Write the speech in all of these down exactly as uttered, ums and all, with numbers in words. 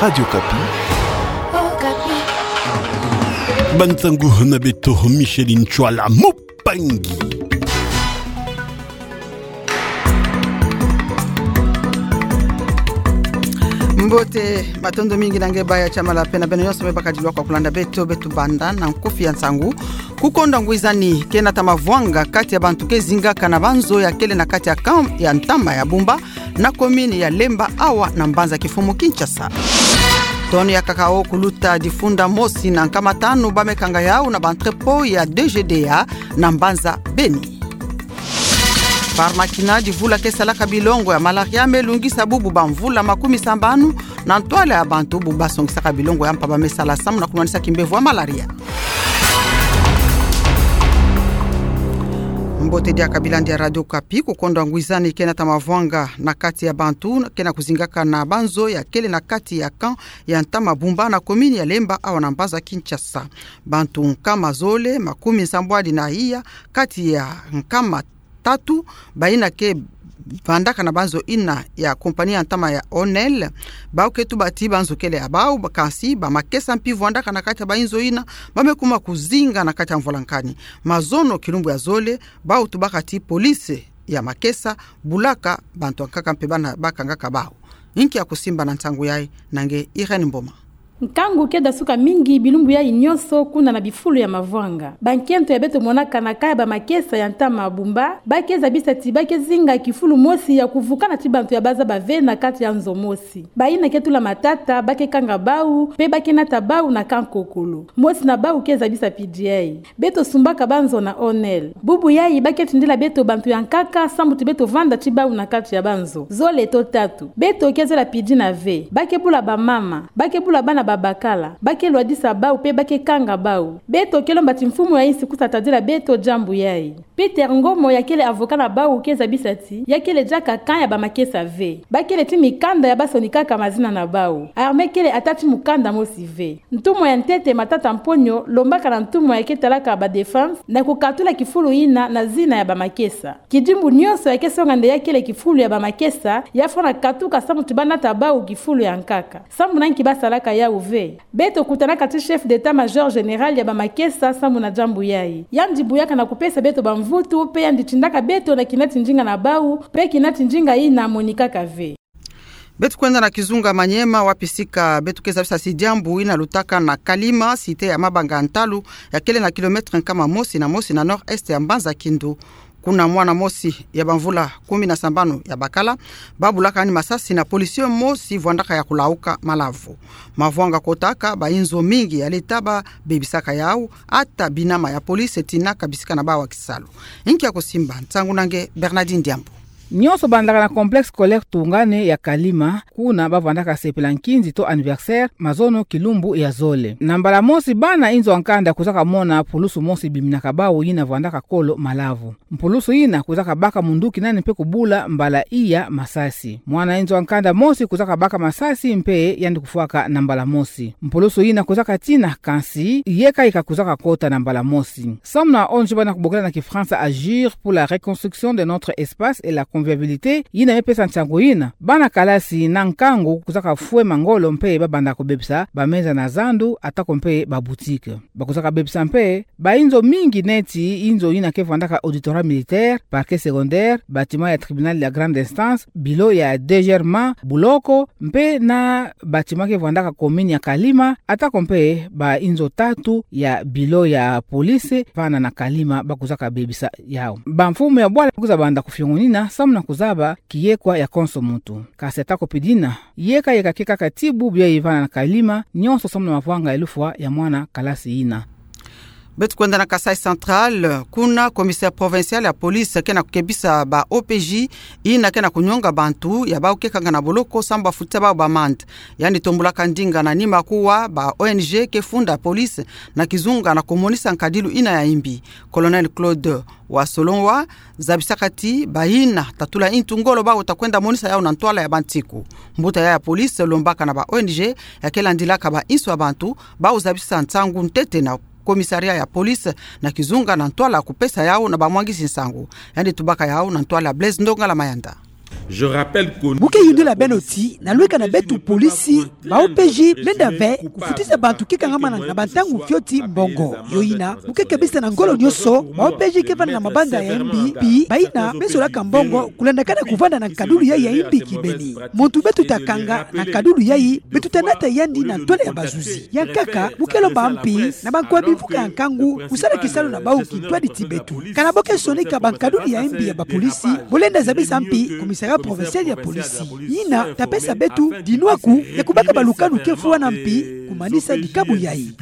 Radio Okapi. Okapi. Bansangu na beto, Micheline Tshuala Mupangi. Mbote, matondo mingi na nge baya tia mala pena beno nyonso me bakadilwa kwa kulanda beto, beto banda na nkufi ya nsangu. Kukonda ngwizani ke nata mavwanga kati ya bantu ke zingaka na banzo ya kele na kati ya camp ya ntama ya Bumba, na commune ya Lemba, awa na mbanza kifumu Kinshasa. Tonne ya cacao kuluta difunda mosi na nkama tanu ba me kanga yau na ba entrepôt ya D G D A na mbanza Beni. Pharmaquina, divula ke salaka bilongo ya malaria me lungisa bubu ba mvula makumi sambanu na ntwala ya bantu bu ba songisaka bilongo ya mpa ba me sala samu na kunwanisa kimbevo ya malaria. Mbote diaka, bilandi ya Radio Okapi. Kukonda ngwizani ke nata mavwanga na kati ya bantu ke na kuzingaka na banzo ya kele na kati ya camp ya ntama Bumba na commune ya Lemba, awa na mbanza Kinshasa. Bantu nkama zole makumi nsambwadi na iya kati ya nkama tatu, bayina ke vandaka na banzo yina ya compagnie ya ntama ya Onel, bau ke tuba ti banzo kele ya bau, ba kansi ba makesa mpi vandaka na kati ya ba inzo yina, ba me kuma kuzinga na kati ya mvwalankani. Mazono kilumbu ya zole, bau tubaka ti police ya makesa bulaka bantu ya nkaka mpe bana ba kangaka bau. Nki ya kusimba na nsangu yayi na nge Irène Mboma. Nkangu ke dasuka mingi bilumbu yayi nyonso kuna na bifulu ya mavwanga. Bankento ya beto monaka na kaya ba makesa ya ntama Bumba, ba ke zabisa ti ba ke zinga kifulu mosi ya kuvukana ti bantu ya bazaba ve na kati ya nzo mosi. Bayina ke tula matata, ba ke kanga bau, mpe ba ke nata bau na kankokolo. Mosi na bau ke zabisa mpidi yayi. Beto sumbaka banzo na Onel. Bubu yayi ba ke tindila beto bantu ya nkaka, samu ti beto vanda ti bau na kati ya banzo. Zole to tatu. Beto ke zela mpidi na ve. Ba ke bula bamama. Ba ke bula bana babakala. Ba ke lwadisa bau mpe ba ke kanga bau. Beto ke lomba ti mfumu ya insi kusa tadila beto diambu yayi. Peter Ngomo, ya kele avocat na bau, ke zabisa ti ya kele diaka camp ya ba makesa ve. Ba kele ti mikanda ya ba sonikaka mazina na bau. Armée kele ata ti mukanda mosi ve. Ntumwa ya ntete Matata Mponyo lombaka na ntumwa ya ke talaka ba défense na kukatula kifulu yina na zina ya ba makesa. Kidimbu nyonso ya ke songa nde ya kele kifulu ya ba makesa, ya fwana katuka samu ti ba nata bau kifulu ya nkaka. Samu na nki ba salaka yau ve? Beto kutanaka ti chef d'état-major général ya ba makesa samu na diambu yayi. Yandi buyaka na kupesa beto bamvutu, mpe yandi tindaka beto na kina ti ndinga na bau, mpe kina ti ndinga yina monikaka ve. Beto kwenda na kizunga Maniema, wapi sika beto ke zabisa ti diambu yina lutaka na Kalima, cité ya mabanga ya ntalu, ya kele na kilomètre nkama mosi na mosi na nord-est ya mbanza Kindu. Kuna mwana mosi ya bamvula kumi na sambanu ya bakala, ba bulaka yandi masasi na policier mosi vwandaka ya kulauka malavu. Mavwanga kotaka, ba inzo mingi ya leta ba bebisaka yau, ata binama ya police tina ka bisika na bau kisalu. Nki ya kusimba, nsangu na nge Bernardine Diambu. Nyonso bandaka na complexe scolaire Tungane ya Kalima, kuna ba vandaka sepela nkinzi to anniversaire, mazono kilumbu ya zole. Na mbala mosi bana inzo ya nkanda kuzaka mona pulusu mosi biminaka bau yina vandaka kolo malavu. Mpulusu yina kuzaka baka munduki nani mpe kubula mbala iya masasi. Mwana inzo ya nkanda mosi kuzaka baka masasi mpe yandi kufwaka na mbala mosi. Mpulusu yina kuzaka tina, kansi yeka yeka kuzaka kota na mbala mosi. Samu na O N G bana kubokela na Kifransa Agir pour la reconstruction de notre espace et la convivialité, yina me pesa nsangu yina, bana kalasi na nkangu kuzaka fwema ngolo mpe ba banda kubebisa ba meza na zandu, atako mpe ba boutique. Ba kuzaka bebisa mpe ba inzo mingi neti inzo yina ke vandaka auditorat militaire, parquet secondaire, bâtiment ya tribunal ya grande instance, bureau ya D G R M A, buloko, mpe na bâtiment ke vandaka commune ya Kalima, atako mpe ba inzo tatu ya bureau ya police vana na Kalima ba kuzaka bebisa yau. Bamfumu ya bwala kwiza banda kufiongonina samu na kuzaba kiyekwa ya konso muntu. Kansi atako pidina, yeka yeka ke kaka ti bubu yayi vana na Kalima, nyonso samu na mavwanga ya lufwa ya mwana kalasi yina. Beto kwenda na Kasaï Central, kuna commissaire provincial ya police ke na kukebisa ba O P J yina ke na kunyonga bantu ya bau ke kanga na boloko samu ba futisa bau ba amende. Yandi tombulaka ndinga na nima kuwa ba O N G ke funda police na kizunga na kumonisa nkadilu yina ya imbi. Colonel Claude Wasolonwa zabisaka ti bayina tatula intu ngolo bau ta kwenda monisa yau na ntwala ya bantiku. Mbuta ya, ya police lombaka na ba O N G ya ke landilaka ba insu ya bantu bau zabisa nsangu ntete na commissariat ya police na kizunga na ntwala kupesa yau na bamwangisi nsangu. Yandi tubaka yau na ntwala Blaise Ndongala Mayanda. Je rappelle que Muke yundila beno ti, na lweka na beto polisi, ba O P J, lenda ve kufutisa bantu ke kangamana na bantangu fioti mbongo. Yo ina, muke kebisa na ngolo nyonso, ba O P J ke vanda na mabanda ya imbi, pi, bayina, besolaka mbongo, kulandakana kuvanda na nkadulu yayi ya imbi kibeni. Muntu beto ta kanga, na nkadulu yayi, beto ta nata yandi na ntwala ya bazuzi. Ya nkaka, muke lomba mpi, na bankwa bimfuka ya nkangu, kusala kisalu na bawu kintwadi ti beto. Kana bo ke sonika bankadulu ya imbi ya bapolisi, bo lenda zabisa mpi, commissariat provincial ya polisi. Yina, ta pesa beto, dinwaku, ya kubaka balukanu ke fwana mpi, kumanisa dikabu yayi.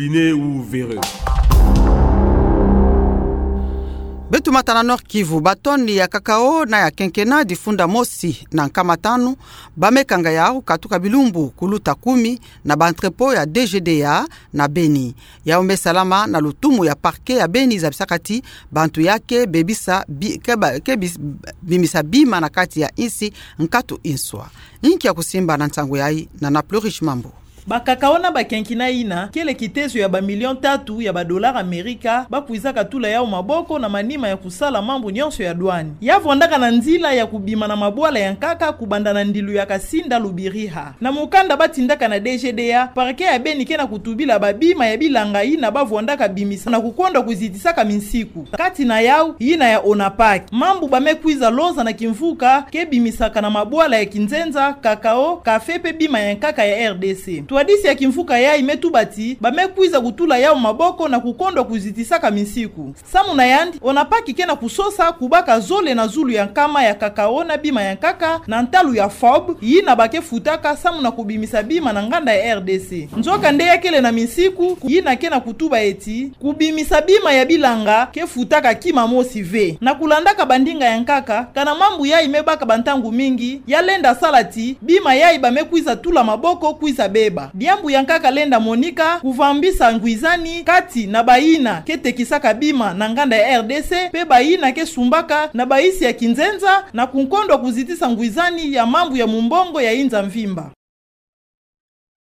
Beto mata na Nord-Kivu, batoni ya cacao na ya kenkena difunda mosi na nkama tanu, ba me kanga yawu katuka bilumbu kuluta kumi na ba entrepôt ya D G D A na Beni. Yawu me salama na lutumu ya parquet ya Beni zabisaka ti bantu ya ke bebisa bi-, ke ba-, ke bis-, bimisa bima na kati ya insi nkatu inswa. Inki ya kusimba na nsangu yayi na Naplu Riche Mambu. Ba cacao na ba kenkena yina, kele kitezo ya ba million tatu ya ba dollars Amerika, ba kwizaka tula yawu maboko na manima ya kusala mambu nyonso ya douane. Ya vwandaka na nzila ya kubima na mabwala ya nkaka kubanda na ndilu ya Kasinda Lubiriha. Na mukanda ba tindaka na D G D A, parquet ya Beni ke na kutubila babima ya bilanga yina ba vwandaka bimisa na kukonda kuzitisaka minsiku. Kati na yawu, yina ya Onapac. Mambu ba me kwiza loza na kimvuka, ke bimisaka na mabwala ya kinzenza, cacao, café pe bima ya nkaka ya R D C. Ntwadisi ya kimvuka yayi me tuba ti, ba me kwiza kutula yawu maboko na kukonda kuzitisaka minsiku. Samu na yandi, Onapac ke na kusosa kubaka zole na zulu ya nkama ya cacao na bima ya nkaka na ntalu ya FOB, yina ba ke futaka samu na kubimisa bima na nganda ya R D C. Nzokande ya kele na minsiku, yina ke na kutuba eti, kubimisa bima ya bilanga ke futaka kima mosi ve. Na kulandaka bandinga ya nkaka, kana mambu yayi me baka bantangu mingi, ya lenda sala ti, bima yayi ba me kwiza tula maboko kwiza beba. Diambu ya nkaka lenda monika, kuvambisa ngwizani, kati na bayina ke tekisaka bima na nganda ya R D C, pe bayina ke sumbaka na bayisi ya kinzenza, na kunkondo kuzitisa ngwizani ya mambu ya mumbongo ya inza mvimba.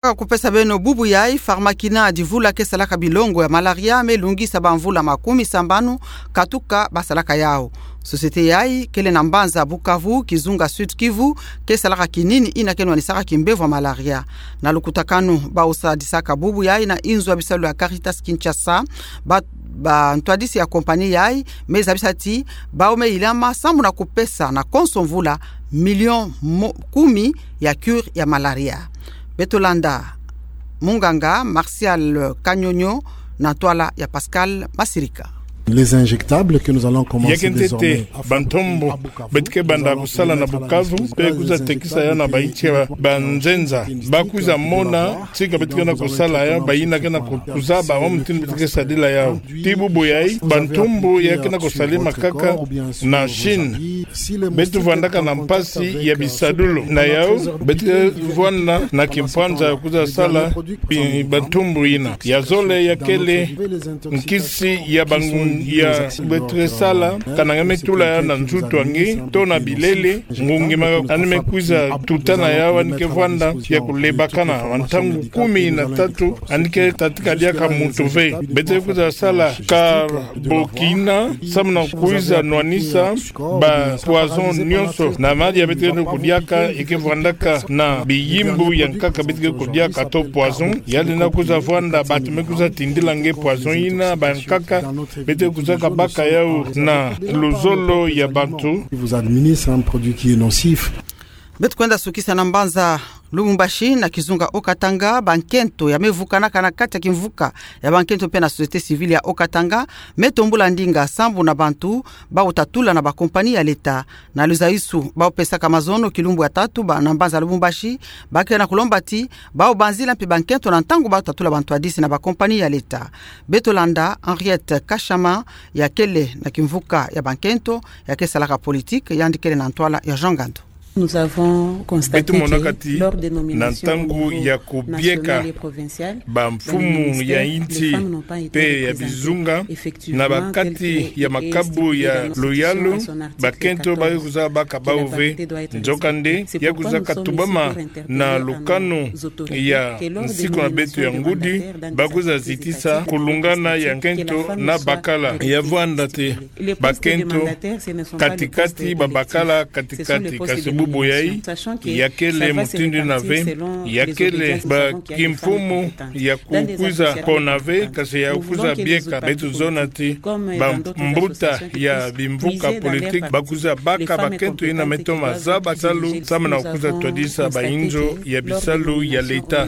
Ka kupesa beno bubu yayi, Pharmakina, divula ke salaka bilongo ya malaria, me lungisa bamvula makumi sambanu katuka ba salaka yawu. Société yayi kele na mbanza Bukavu, kizunga Sud-Kivu, ke salaka kinini yina ke nwanisaka kimbevo ya malaria. Na lukutakanu bawu sadisaka bubu yayi na inzo ya bisalu ya Caritas Kinshasa, ba, bantwadisi ya compagnie yayi me zabisa ti bawu me yilama samu na kupesa na konso mvula million mo-, kumi ya cure ya malaria. Beto landa munganga Martial Kanyonyo na ntwala ya Pascal Masirika. Les injectables que nous allons commencer désormais à fabriquer à Bukavu. Ya ke ntete bantombo beto ke banda kusala na Bukavu, pe kwiza tekisa yawu na bainsi ya banzenza. Ba kwiza mona tika beto ke na kusala yawu, bayina ke na ku-, kuzaba wa mutindu beto ke sadila yawu. Ti bubu yayi, bantombo ya ke na kusalama kaka na Chine. Beto vwandaka na mpasi ya bisadulu. Na yawu, beto vwanda na kimpwanza ya kwiza sala bi-, bantombo yina. Ya zole ya kele nkisi ya bangu-, ya beto ke sala, kana nge me tula yawu na nzutu a nge, to na bilele, ngungi ma yandi me kwiza tuta na yawu, yandi ke vwanda ya kulebakana, wa ntangu kumi na tatu, yandi ke tata ka diaka muntu ve. Beto ke kwiza sala carbokina, samu na kwiza nwanisa ba poison nyonso. Na madia beto ke kudiaka, e ke vwandaka na biyimbu ya nkaka beto ke kudiaka to poison. Yandi na kwiza vwanda, bantu me kwiza tindila nge poison yina, ba nkaka, beto ke kwiza kabaka yawu na luzolo ya bantu. Vous administre un produit qui est nocif. Beto kwenda sukisa na mbanza Lubumbashi na kizunga Haut-Katanga, bankento ya me vukanaka na kati ya kimvuka ya bankento pe na société civile ya Haut-Katanga, me tombula ndinga sambu na bantu bawu ta tula na ba compagnie ya l'État. Na luzayusu bawu pesaka mazono kilumbu ya tatu ba na mbanza Lubumbashi, ba ke na kulomba ti bawu banzila mpe bankento na ntangu bawu ta tula bantwadisi na ba compagnie ya l'État. Beto landa Henriette Kashama, ya kele na kimvuka ya bankento, ya ke salaka politique, yandi kele na ntwala ya Jean Ngandu. Nous avons constaté que lors des nominations au niveau national et provincial, dans les ministères, les femmes n'ont pas été représentées. Beto monaka ti na ntangu ya kubieka bamfumu ya insi pe ya bizunga, na ba kati ya makabu ya luyalu, bankento ba ke kwiza baka bawu ve. Nzokande, ya kwiza katubama na lukanu ya nsiku na beto ya ngudi, ba kwiza zitisa kulungana ya nkento na bakala. Ya vwanda ti bankento kati-kati, babakala kati-kati, kasi bu Buyayi, ya kele mutindu ina ve, ya kele bakimfumu ya kukwiza kona ve, kasi ya kukwiza bieka beto zona ti bambuta ya bimvuka politique bakwiza baka bakento ina metoma zaba salu, samu na kukwiza twadisa bainzo ya bisalu ya l'État.